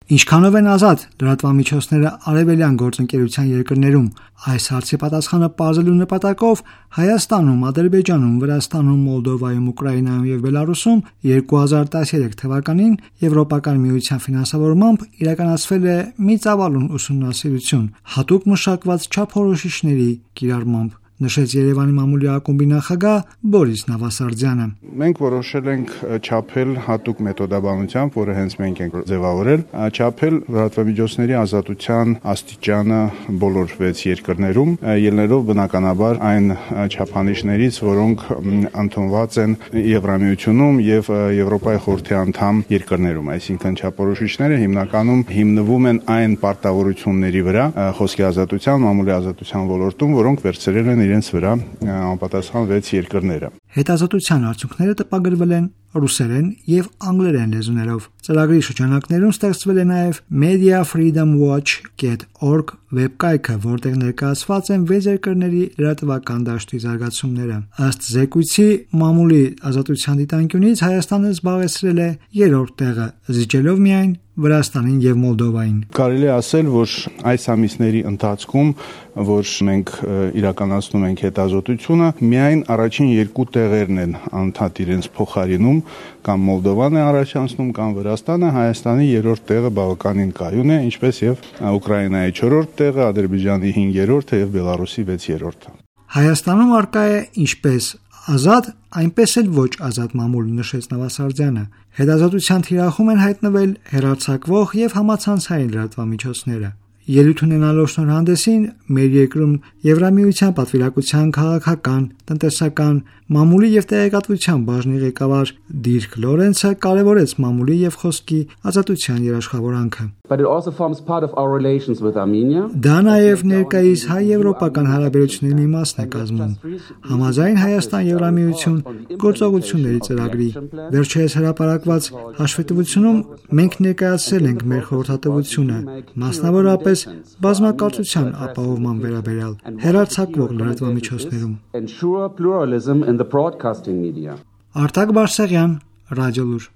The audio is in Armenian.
Ինչքանով են ազատ լրատվամիջոցները արևելյան գործընկերության երկրներում, այս հարցի պատասխանը պարզելու նպատակով Հայաստանում, Ադրբեջանում, Վրաստանում, Մոլդովայում, Ուկրաինայում եւ Բելարուսում 2013 թվականին Եվրոպական միության ֆինանսավորմամբ իրականացվել է մի ծավալուն ուսումնասիրություն հատուկ մշակված չափորոշիչների կիրառմամբ, նշեց Երևանի մամուլի ակումբի նախագահ Բորիս Նավասարդյանը։ Մենք որոշել ենք չափել հատուկ մեթոդաբանությամբ, որը հենց մենք ենք ձևավորել, չափել լրատվամիջոցների ազատության աստիճանը բոլոր 6 երկրներում, ելնելով բնականաբար այն չափանիշներից, որոնք ընդունված են Եվրամիությունում եւ Եվրոպայի խորհրդի անդամ երկրներում, այսինքն չափորոշիչները հիմնականում հիմնվում են այն պարտավորությունների վրա, խոսքի ազատության, մամուլի ազատության ոլորտում, որոնք վերցրել են իրենց վրա անպատասխան 6 երկրները։ Հետազոտության արդյունքները տպագրվել են ռուսերեն եւ անգլերեն լեզուներով։ Ծրագրի շրջանակներում ստեղծվել է նաեւ mediafreedomwatch.org վեբկայքը, որտեղ ներկայացված են 6 երկրների լրատվական դաշտի զարգացումները։ Ըստ զեկույցի, մամուլի ազատության դիտանկյունից Հայաստանը զբաղեցրել է 3-րդ տեղը, զիջելով միայն Վրաստանին եւ Մոլդովային։ Կարելի է ասել, որ այս ամիսների ընթացքում, որ մենք իրականացնում ենք հետազոտությունը, միայն առաջին 2 տեղերն են անդադ իրենց փոխարինում, կամ Մոլդովան է առաջանցնում, կամ Վրաստանը, Հայաստանի 3-րդ տեղը բավականին կայուն է, ինչպես եւ Ուկրաինայի 4-րդ տեղը, Ադրբեջանի 5-րդը եւ Բելարուսի 6-րդը։ Հայաստանում արկա է ինչպես ազատ, այնպես էլ ոչ ազատ մամուլ, նշեց Նավասարդյանը։ Հետազոտության թիրախում են հայտնվել հեռարձակվող եւ համացանցային լրատվամիջոցները։ Ելույթ ունենալով շնորհանդեսին մեր երկրում Եվրամիության պատվիրակության քաղաքական, տնտեսական, մամուլի եւ տեղեկատվության բաժնի ղեկավար Դիրք Լորենցը կարևորեց մամուլի եւ խոսքի ազատության երաշխավորանքը։ Դա նաեւ ներկայիս հայ-եվրոպական հարաբերությունների մի մասն է կազմում։ Համաձայն Հայաստան-Եվրամիություն գործողությունների ծրագրի վերջերս հրապարակված հաշվետվությունում մենք ներկայացրել ենք մեր խորհրդատվությունը, մասնավորապես բազմակարծության ապահովման վերաբերյալ հեռարձակվող լրատվամիջոցներում։ Արտակ Բարսեղյան, Ռադիոլուր։